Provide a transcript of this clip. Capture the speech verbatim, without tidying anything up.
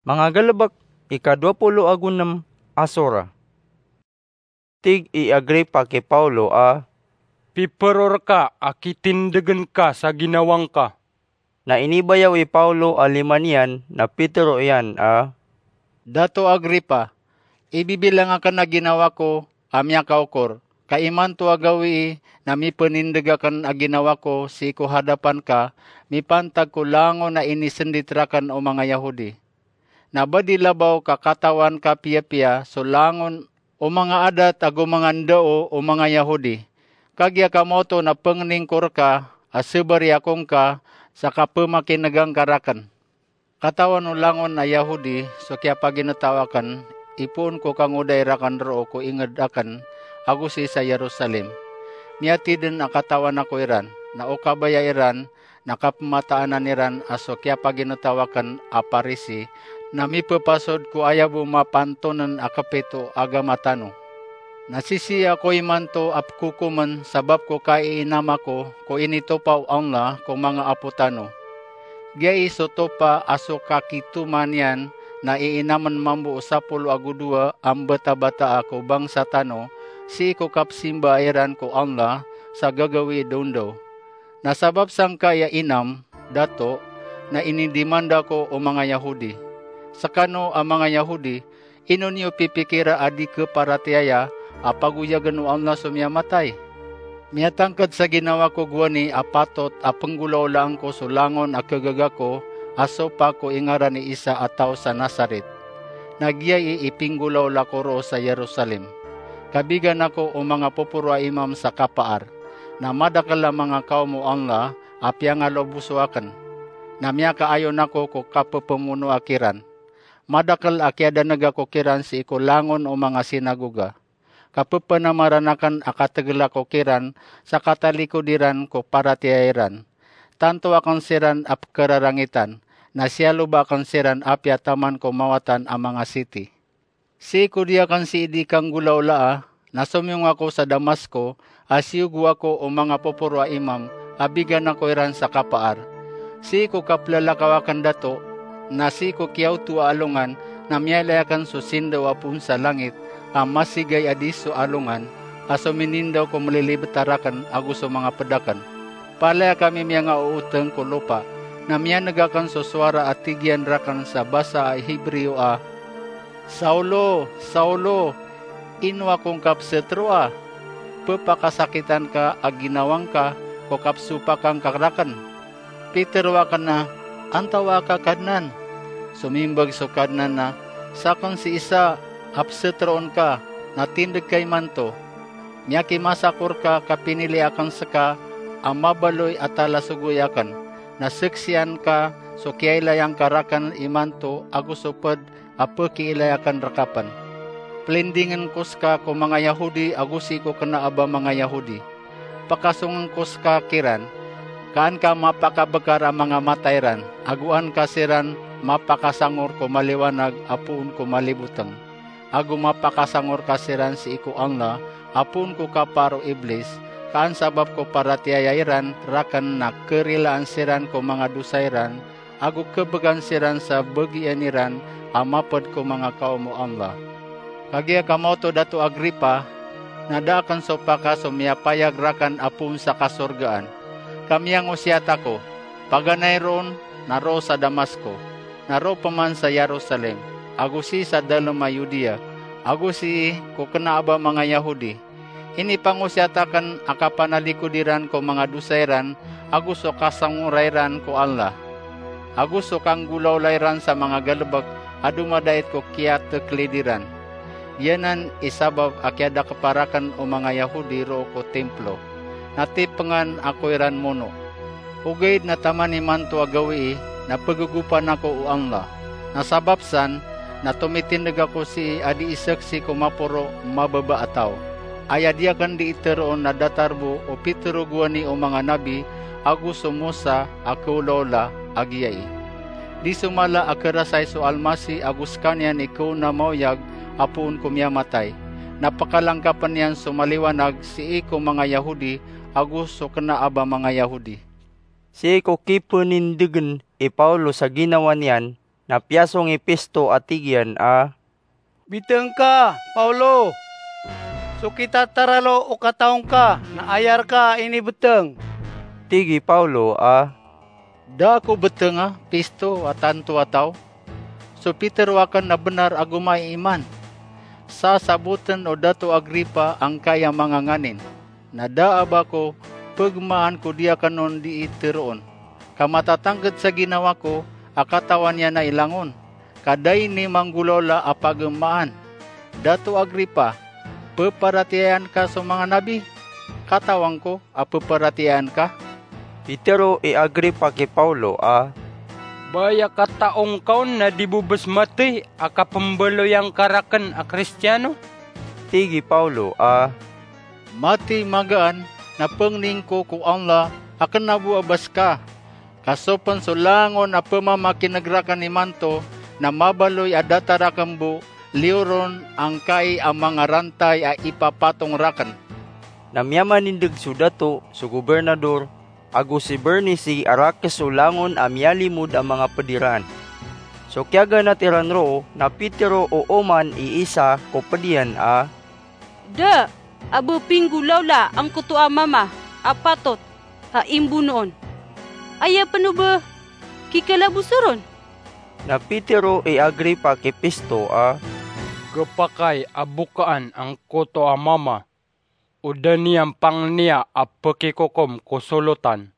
Manga galebek, ika dowa polo ago nem a sora. Tig i Agripa ki Paulo a, "Pipero reka a kitindegen ka sa ginawa ngka." Na inibayaw i Paulo a lima niyan na pitero iyan a, "Dato Agripa, ibibilang aken a ginawa ko a miyakaokor, ka imanto a gawii na mipenindeg aken a ginawa ko sii ko hadapan ka mipantag ko langon a inisendit raken o manga Yahudi. Na ba di labaw ka katawan ka piyapiya so langon o manga adat ago manga ndao o manga Yahudi. Kagiya ka maoto na pengening ko reka a sebari ako ngka sa kapemakinega ngka raken. Katawan o langon a Yahudi so kiyapaginetaw aken, ipoon ko kangodai raken roo ko inged aken ago sii sa Yerusalem. Miyatiden a katawan ako iran, na o kabaya iran na kapemataanan iran a so kiyapaginetaw aken a Parisi na mipepasod ko aya bo mapantonen a kepit o agama tano. Na sisii ako imanto a pekokomen sabap ko kaiinam ako ko initopa o Allah ko manga apo tano. Giyai so topa a so kakitoma niyan na iinamen mambo o sapolo ago dowa a mbetabataa ko bangsa tano sii ko kapesimbaa iran ko Allah sa gagawii dondaw. Na sabap sangkai a inam, dato, na inidimanda ko o manga Yahudi. Sekano a manga Yahudi, ino niyo pipikira a di keparatiyaya a pagoyagen o Allah so miyamatay? Miyatangked sa ginawa ko gowani a patot a penggolaolaan ko so langon a kegaga ko a sopak ko ingaran i Isa a taw sa Nazaret. Na giyai i pinggolaola ko roo sa Yerusalem. Kabigan ako o manga poporo a imam sa kapaar, na madakel a manga kaom o Allah a piyangaloboso aken. Na miyakaayon ako ko kapepemonoa kiran. Madakel a kiyadanega ko kiran sii ko langon o manga sinagoga. Kapepenamaran aken a kategela ko kiran sa katalikod iran ko paratiyaya iran. Tanto aken siran a pekerarangitan, na siyaloba aken siran apiya taman ko mawatan a manga siti. Sii ko di aken sii di kanggolaolaa, na somiyong ako sa Damasko, a siyogo ako o manga poporo a imam a bigan ako iran sa kapaar. Sii ko kaplalakaw aken dato, na sii ko kiyaoto a alongan, na miyailay aken so sindaw a poon sa langit a masigay a di so alongan, a sominindaw ko melilibeta raken ago so manga ped aken. Palaya kami miyangaooteng ko lopa, na miyaneg aken so sowara a tig iyan raken sa basa a Hebreo a, "Saulo, Saulo, ino ako ngka peseteroa? Pepakasakitan ka a ginawa ngka ko kapesopaka ngka raken." Pitero aken a, "Antawaa ka, Kadnan?" Somimbag so Kadnan a, "Saken si Isa a peseteroon ka, na tindeg ka imanto. Miyakimasa ko reka ka pinili aken seka a mabaloy a talasogoy aken, na seksian ka so kiyailaya ngka raken imanto ago so ped a pekiilaya aken reka pen. Pelindingen ko seka ko manga Yahodi ago sii ko kena a ba manga Yahodi. Pakasongen ko seka kiran, ka an ka mapakabekar a manga mata iran, ago an ka siran mapakasangor ko maliwanag a poon ko maliboteng. Ago mapakasangor ka siran sii ko Allah a poon ko kapaar o Iblis, ka an sabap ko paratiyaya iran raken na kerilaan siran ko manga dosa iran, ago kebegan siran sa bagian iran a maped ko manga kaom o Allah. Kagiya ka maoto, Dato Agripa, na da aken sopaka so miyapayag raken a poon sa kasorgaan. Ka miyangosiyat ako, paganay ron na roo sa Damasko, na roo peman sa Yerusalem, ago sii sa dalem a Yudea, ago sii ko kena a ba manga Yahodi. Inipangosiyat aken a kapanalikod iran ko manga dosa iran ago so kasangora iran ko Allah, ago so kanggolaola iran sa manga galebek a domadait ko kiyateklid iran. Giyanan i sabap a kiyadakepa raken o manga Yahodi roo ko timplo, na tipengan ako iran mono. Ogaid na taman imanto a gawii na pegegopan ako o Allah. Na sabap san, na tomitindeg ako sii a di isaksi ko maporo mababa a taw. Aya di aken di iteroon na datar bo o pitero gowani o manga nabi ago so Mosa a keolaola a giyai. Di so mala a kerasay so Almasi ago sekaniyan i keona maoyag a poon ko miyamatay. Na pekalangkapen iyan so maliwanag sii ko manga Yahodi ago so kena a ba manga Yahodi. Sii ko kipenindegen i Paulo sa ginawa niyan, Na piyasong i Pisto a tig iyan a, "Biteng ka, Paulo! So kitataralo o kataw ngka na aya rka inibeteng." Tig i Paulo a, "Da ako betenga, Pisto a tanto a taw. So pitero aken na benar a gomaiman. Sasaboten o Dato Agripa angkai a manga nganin, na da a ba ko pegemaan ko di aken on dii teroon, ka matatangked sa ginawa ko a katawan iyan a ilangon, ka da ini manggolawla a pagemaan. Dato Agripa, peparatiyayaan ka so manga nabi? Katawan ko a peparatiyayaan ka." Pitero i Agripa ki Paulo a, "Ba aya kataw ngka on na di bo bes matey a kapembaloyan ka raken a Kristiyano?" Tig i Paulo a, "Matey magaan na pengning ko ko Allah a kena bo a bes ka. Ka so pen so langon a pemamakineg raken imanto na mabaloy a datar aken bo liyoron angkai a manga rantay a ipapatong raken." Na miyamanindeg so dato, so gobernador, ago si Bernisi a rakes so langon a miyalimod a manga ped iran. So kiyaganat iran roo na pitero o oman i isa ko ped iyan a, "Da a ba pinggolawla angkoto a mama a patot a imbonoon. Aya pen o ba kikalaboso ron?" Na pitero i Agripa ki Pisto a, "Gepakay a bokaan angkoto a mama o da niyan pangniya a pekikokom ko solotan